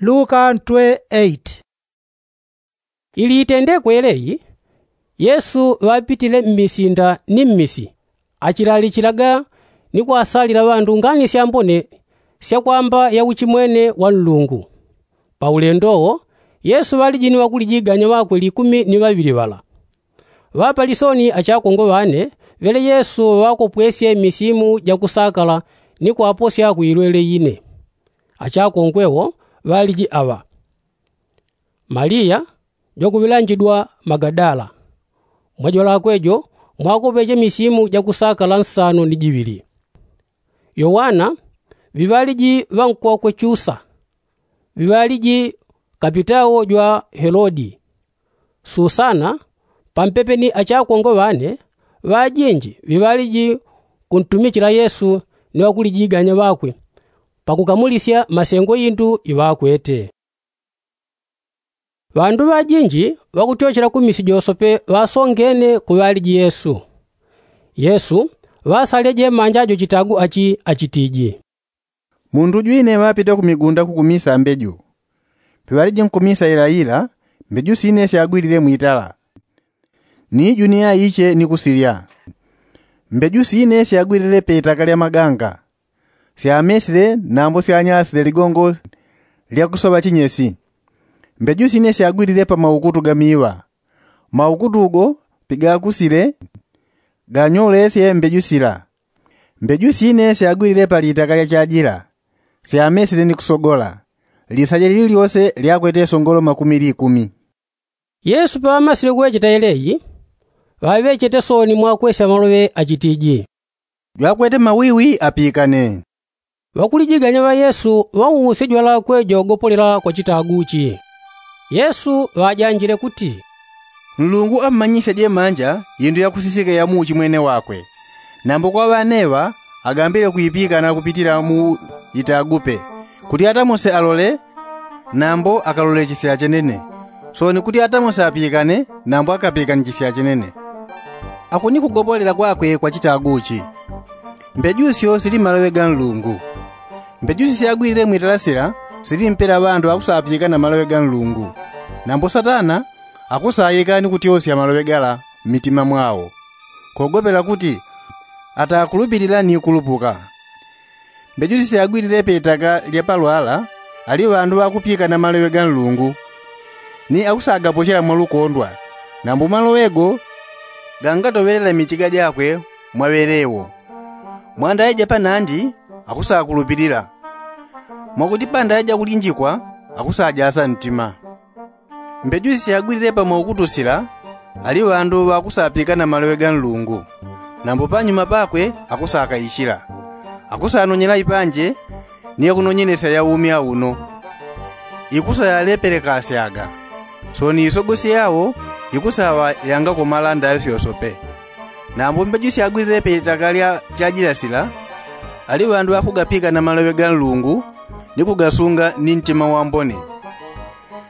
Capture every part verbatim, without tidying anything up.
Luka ntwe. Ili itendekwe yeleyi, yesu ŵapitile mmisinda ni mmisi, achilalichilaga ni kwasalila ŵandu ngani syambone sya kwamba ya uchimwene wa nlungu. Pa ulendo wo, yesu ŵaliji ni ŵakulijiganya ŵakwe likumi ni ŵaŵili ŵala. Ŵapalisoni achakongo ŵane ŵele yesu ŵakopwesye misimu ja kusakala ni kwaposya kuilwele ine. Achakongwe wo ŵaliji aŵa: maliya jwakuŵilanjidwa magadala, mwa jwalakwe jo mwakopeche misimu ja kusakala nsano ni jiŵili. Yowana, ŵiŵaliji ŵa nkokwe chusa, ŵiŵaliji kapitawo jwa helodi, susana, pampepe ni achakongo ŵane ŵajinji ŵiŵaliji kuntumichila yesu ni ŵakulijiganya ŵakwe pakukamulisya masengo indu iŵakwete. Ŵandu ŵajinji ŵakutyochela ku misi josope ŵasongene kuŵaliji yesu. Yesu ŵasalile jemanja jo chitagu achi achitiji: Mundu jwine ŵapite ku migunda kukumisa mbeju. Piŵaliji nkumisa ilaila, mbeju sine syagwilile mwitala. Ni iju ni aiche ni kusilya. Mbeju sine syagwilile pe itaka lya maganga, syamesile nambo syanyalasile ligongo lya kusoŵa chinyesi. Mbeju sine syagwilile pa maukutu ga miŵa. Maukutu go pigakusile, ganyolesye mbeju sila. Mbeju sine syagwilile pa litaka lya chajila, syamesile ni kusogola. Lisaje lili lyose lyakwete songolo makumi likumi. Yesu paŵamasile kuŵecheta yeleyi, ŵaŵechete sooni mwakwesya maloŵe achitiji: Jwakwete mawiwi apikane. Ŵakulijiganya ŵa yesu ŵauusye jwalakwe jogopolela kwa chitagu chi. Yesu ŵajanjile kuti, nlungu ammanyisye jemanja indu yakusisike ya muuchimwene wakwe. Nambo kwa ŵaneŵa agambile kuipikana kupitila mu itagupe, kuti atamose alole nambo akalolechesya chenene. Sooni kuti atamose apikane nambo akapikanichisya chenene. Ako ni kugopolela kwakwe kwa chitagu chi. Mbeju syo sili mmaloŵe ga nlungu. Mbeju sisyagwilile mwitala sila sili mpela ŵandu akusapika na maloŵe ga nlungu. Nambo satana akusaika ni kutyosya maloŵe gala mmitima mwao, kogopela kuti atakulupilila ni kulupuka. Mbeju sisyagwilile pe itaka lya palwala ali ŵandu ŵakupika na maloŵe ga nlungu, ni akusagapochela mwa lukondwa. Nambo maloŵe go gangatoŵelela michiga jakwe mwa ŵelewo. Mwa ndaŵe ja panandi akusakulupilila, mwakuti pandaŵe ja kulinjikwa akusajasa ntima. Mbeju sisyagwilile pa maukutu sila ali ŵandu ŵakusapika na maloŵe ga nlungu. Nambo panyuma pakwe akusakaichila, akusanonyela ipanje ni yakunonyenesya ya umi auno, ikusayalepelekasyaga. Sooni isogosi yao ikusaŵa yangakomala ndaŵe syosope. Nambo mbeju syagwilile pe itaka lya chajila sila ali ŵandu ŵakugapika na maloŵe ga nlungu ni kugasunga ni ntima wambone,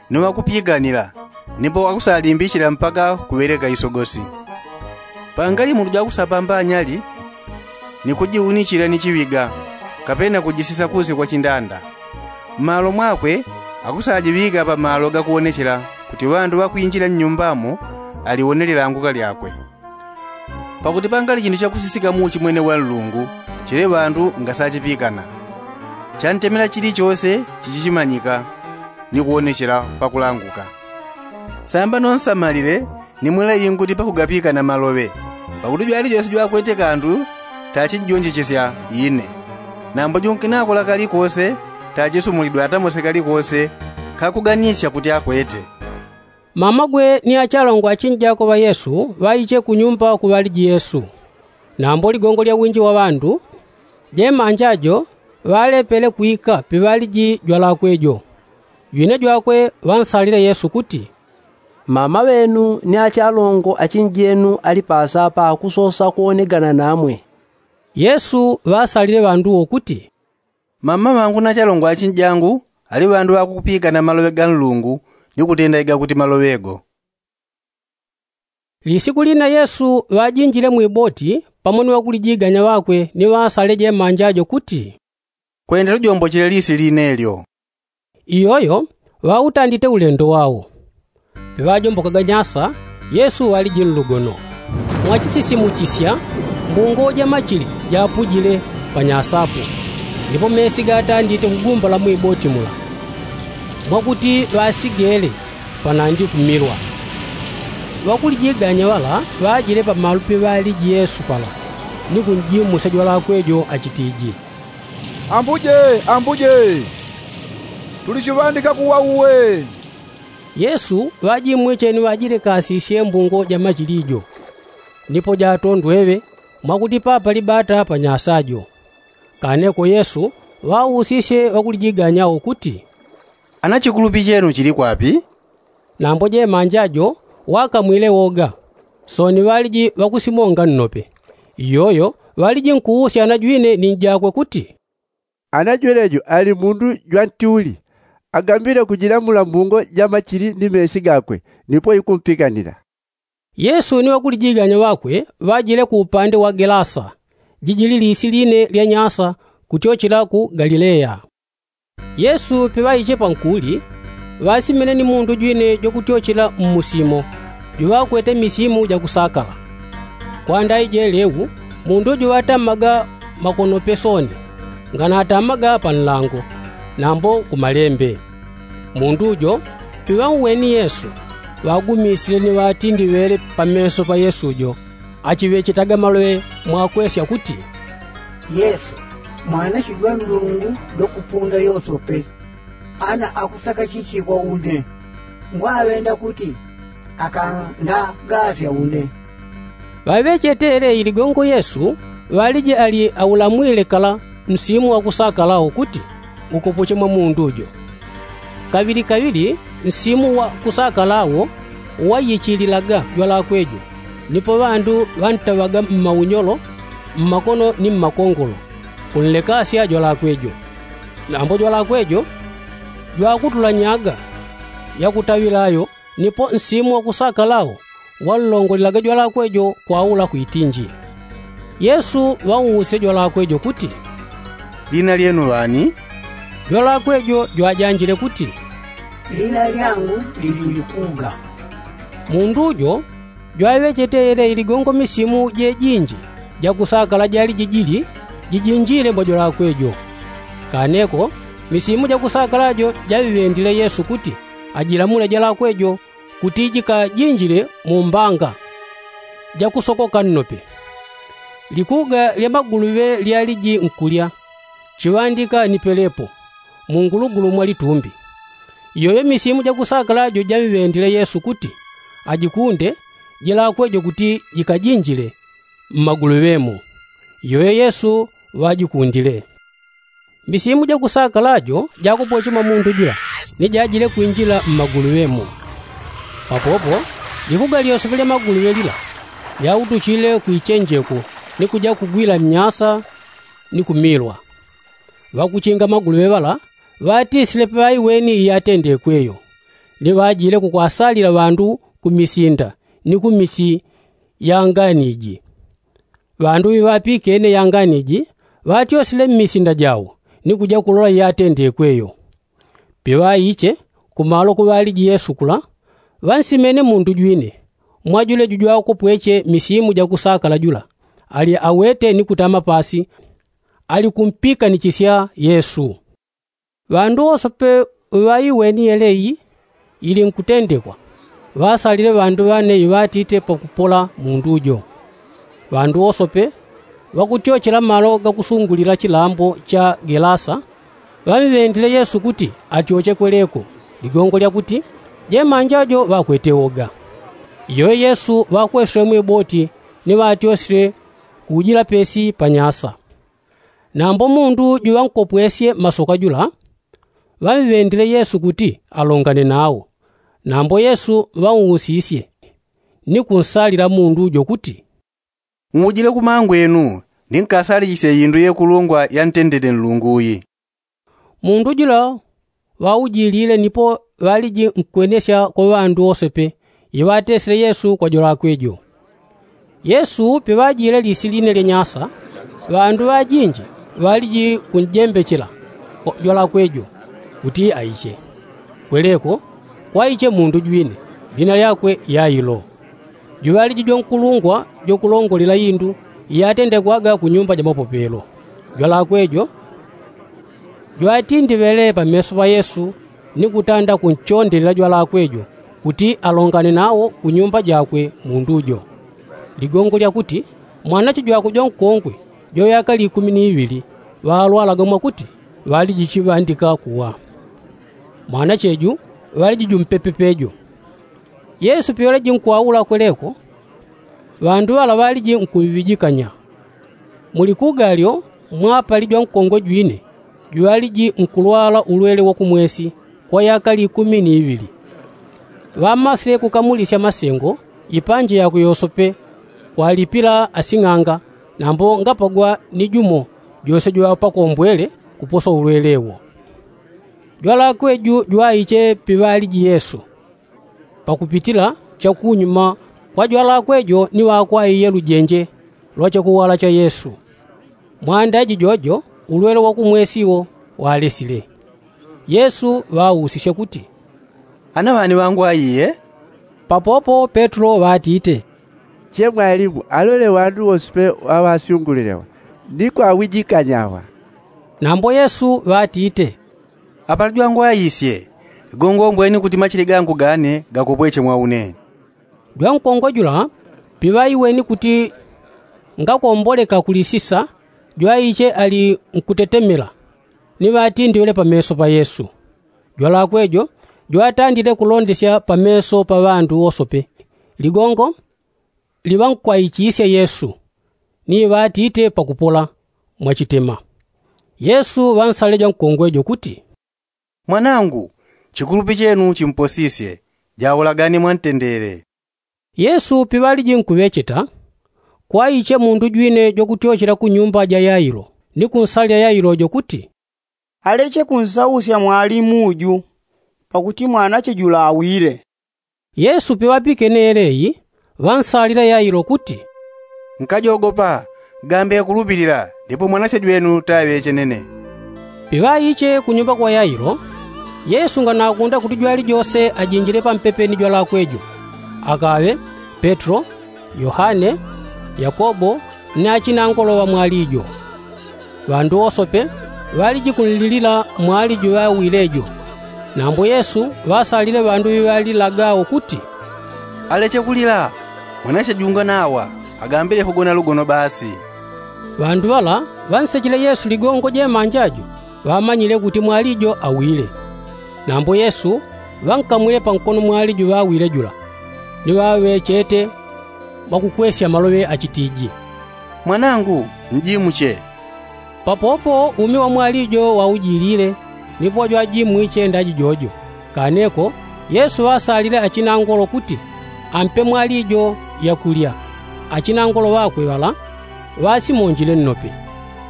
ni ŵakupikanila, nipo akusalimbishila mpaka kuŵeleka isogosi. Pangali mundu jwakusapamba anyali ni kujiunichila ni chiŵiga, kapena kujisisa kusi kwa chindanda. Mmalo mwakwe akusajiŵika pa malo gakuwonechela kuti ŵandu ŵakwinjila nnyumbamo aliwonele languka lyakwe. Pakuti pangali chindu chakusisika muuchimwene wa nlungu chili ŵandu ngasachipikana, chantemela chilichose chichichimanyika ni kuwonechela pakulanguka. Samba nonsamalile ni mweleyi nkuti pakugapika na maloŵe, pakuti jwalichose jwakwete kandu tachijonjechesya ine. Nambo junkinako la kalikose tachisumulidwe atamose kalikose kakuganisya kuti akwete. Mamagwe ni achalongwa achinjako ŵa yesu ŵaiche kunyumba kuŵaliji yesu. Nambo ligongo lya winji wa ŵandu, jemanja jo ŵalepele kwika piŵaliji jwalakwe jo. Jwine jwakwe ŵansalile yesu kuti, mama ŵenu ni achalongo achinjenu ali pasapa akusosa kuwonegana namwe. Yesu ŵasalile ŵandu wo kuti, mama ŵangu na achalongo achinjangu ali ŵandu ŵakupika na maloŵe ga nlungu ni kutenda igakuti maloŵe go. Lisiku lina yesu ŵajinjile mwiboti pamo ni ŵakulijiganya ŵakwe ni ŵaasale jemanja jo kuti, kwenda lujombochele lisi line lyo. Iyoyo ŵautandite ulendo wao. Piŵajombokaga nyasa, yesu ŵaliji nlugono. Mwachisisimuchisya, mbungo ja machili japujile pa nyasapo, ndipo mesi gatandite kugumbala mwiboti mula, mwakuti ŵasigele panandi kumilwa. Ŵakulijiganya ŵala ŵajile pamalupi ŵaliji yesu pala, ni kunjimusya jwalakwe jo achitiji, ambuje, ambuje, tulichiŵandika kuwa uwe. Yesu ŵajimwiche ni ŵajilekasisye mbungo ja machili jo, nipo jatondweŵe, mwakuti papali bata pa nyasa jo. Kaneko yesu ŵausisye ŵakulijiganya wo kuti, ana chikulupi chenu chili kwapi? Nambo jemanja jo ŵakamwile woga, sooni ŵaliji ŵakusimonga nnope. Iyoyo ŵaliji nkuusya ana jwine ni njakwe kuti, ana jwelejo ali mundu jwantiuli, agambile kujilamula mbungo ja machili ni mesi gakwe, nipo ikumpikanila. Yesu ni ŵakulijiganya ŵakwe ŵajile ku upande wa gelasa, jijili lisi line lya nyasa, kutyochela ku galilea. Yesu piŵaiche pankuli, ŵasimene ni mundu jwine jwakutyochela mmusimo, juŵakwete misimu jakusakala. Kwanda ije leu, mundu jo ŵatamaga makonope sooni, nganatamaga pa nlango, nambo ku malembe. Mundu jo piŵauweni yesu, ŵagumisile ni ŵatindiŵele pa meso pa yesu jo, achiŵechetaga maloŵe mwakwesya kuti, yesu, mwana chijwa nlungu jwakupunda yosope, ana akusaka chichi kwa une, ngwaŵenda kuti akandagasya une. Ŵaŵechete yeleyi ligongo yesu ŵaliji ali aulamwile kala nsimu wakusakala wo kuti ukopoche mwa mundu jo. Kaŵili kaŵili nsimu wakusakala wo wayichililaga jwalakwe jo, nipo ŵandu ŵantaŵaga mmaunyolo, mmakono ni mmakongolo, kunlekasya jwalakwe jo. Nambo jwalakwe jo jwakutulanyaga yakutaŵila yo, nipo nsimu wakusakala wo wanlongolelaga jwalakwe jo kwaula kwitinji. Yesu ŵauusye jwalakwe jo kuti, lina lyenu ŵani? Jwalakwe jo jwajanjile kuti, lina lyangu lili likuga. Mundu jo jwaŵechete yeleyi ligongo misimu jejinji jakusakala jali jijili jijinjile mwa jwalakwe jo. Kaneko misimu jakusakala jo jaŵiŵendile yesu kuti ajilamule jwalakwe jo kuti jikajinjile mu mbanga jakusokoka nnope. Likuga lya maguluŵe lyaliji nkulya, chiŵandika ni pelepo, mu ngulugulu mwa litumbi. Iyoyo misimu jakusakala jo jaŵiŵendile yesu kuti ajikunde jwalakwe jo kuti jikajinjile mmaguluŵe mo. Iyoyo yesu ŵajikundile. Misimu jakusakala jo jakopoche mwa mundu jula, ni jajile kwinjila mmaguluŵe mo. Papopo likuga lyosepe lya maguluŵe lila lyautuchile kwichenjeko, ni kuja kugwila mnyasa ni kumilwa. Ŵakuchinga maguluŵe ŵala ŵatisile paŵaiweni iyatendekwe yo, ni ŵajile kukwasalila ŵandu ku misinda ni ku misi ya nganiji. Ŵandu ŵiŵapikene ya nganiji ŵatyosile mmisinda jao, ni kuja kulola iyatendekwe yo. Piŵaiche kumalo kuŵaliji yesu kula, ŵansimene mundu jwine, mwajule jujwakopweche misimu jakusakala jula, ali awete ni kutama pasi, ali kumpikanichisya yesu. Ŵandu wosope ŵaiweni yeleyi ili nkutendekwa, ŵasalile ŵandu ŵane iŵatite pakupola mundu jo. Ŵandu wosope ŵakutyochela malo gakusungulila chilambo cha gelasa, ŵamŵendile yesu kuti atyoche kweleko, ligongo lyakuti jemanja jo ŵakwete woga. Iyoyo yesu ŵakwesile mwiboti, ni ŵatyosile kujila pesi pa nyasa. Nambo mundu juŵankopwesye masoka jula, ŵamŵendile yesu kuti alongane nawo. Nambo yesu ŵausisye, ni kunsalila mundu jo kuti, ngujile kumangwenu, ni nkasalichisye indu yekulungwa yantendele nlungu yi. Mundu jula ŵaujilile nipo ŵaliji nkwenesya kwa ŵandu wosepe iŵatesile yesu kwa jwalakwe jo. Yesu piŵajile lisi line lya nyasa, ŵandu ŵajinji ŵaliji kunjembechela jwalakwe jo. kuti aiche. Kweleko kwaiche mundu jwine, lina lyakwe yailo, juŵaliji jwankulungwa jwakulongolela indu iyatendekwaga ku nyumba ja mapopelo. Jwalakwe jo jwatindi ŵele pameso pa yesu, ni kutanda kunchondelela jwalakwe jo kuti alongane nawo ku nyumba jakwe mundu jo. Ligongo lyakuti mwanache jwakwe jwankongwe jwa ŵyaka likumi ni iŵili ŵalwalaga mwakuti ŵaliji chiŵandika kuwa. Mwanache ju ŵaliji jumpepe pejo. Yesu piŵaliji nkwaula kweleko, ŵandu ŵala ŵaliji nkuŵijikanya. Muli kugalyo mwapali jwankongwe jwine juŵaliji nkulwala ulwele wa kumwesi kwa yaka likumi ni iŵili. Ŵamasile kukamulisya masengo ipanje yakwe yosope, kwalipila asing'anga, nambo ngapagwa ni jumo jose jwaŵapakombwele kuposa ulwele wo. Jwalakwe ju jwaiche piŵaliji yesu, pakupitila chakunyuma kwa jwalakwe jo ni ŵakwaiye lujenje lwa chakuwala cha yesu. Mwanda jijojo ulwele wa kumwesi wo walesile. Yesu ŵausisye kuti, ana ŵani ŵangwaiye? Papopo petro ŵatite, che mwalimu, alole ŵandu wosepe ŵaŵasyungulilewa ni kwaŵijikanyawa. Nambo yesu ŵatite, apali jwangwaisye, ligongo ombweni kuti machili gangu gane gakopweche mwa une. Jwankongwe jula piŵaiweni kuti ngakomboleka kuli sisa, jwaiche ali nkutetemela ni ŵatindiŵele pameso pa yesu. Jwalakwe jo jwatandile kulondesya pameso pa ŵandu wosope ligongo liŵankwaichisye yesu, ni ŵatite pakupola mwachitema. Yesu ŵansalile jwankongwe jo kuti, mwanangu, chikulupi chenu chimposisye, jaulagane mwantendele. Yesu piŵaliji nkuŵecheta, kwaiche mundu jwine jwakutyochela ku nyumba ja yailo ni kunsalila yailo jo kuti, aleche kunsausya mwalimu ju, pakuti mwanache jula awile. Yesu piŵapikene yeleyi, ŵansalila yailo kuti, nkajogopa, gambe kulupilila, ndipo mwanache jwenu taŵechenene. Piŵaiche ku nyumba kwa yailo, yesu nganakunda kuti jwali jose ajinjile pampepe ni jwalakwe jo, akaŵe petro, yohane, yakobo, ni achinangolo ŵa mwali jo. Ŵandu wosope ŵaliji kunlilila mwali juŵawile jo. Nambo yesu ŵasalile ŵandu ŵiŵalilagawo kuti, aleche kulila, mwanache junga nawa, agambile kugona lugono basi. Ŵandu ŵala ŵansechile yesu ligongo jemanja jo, ŵamanyile kuti mwali jo awile. Nambo yesu ŵankamwile pankono mwali juŵawile jula, ni ŵaŵechete mwakukwesya maloŵe achitiji, mwanangu, njimuche. Papopo umi wa mwali jo waujilile, nipo jwajimwiche ndaji jojo. Kaneko yesu ŵasalile achinangolo kuti ampe mwali jo yakulya. Achinangolo ŵakwe ŵala ŵasimonjile nnope.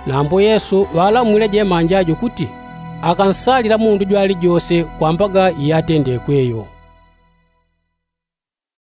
Nambo yesu ŵalamwile jemanja jo kuti akansalila mundu jwali jose kwambaga iyatendekwe yo.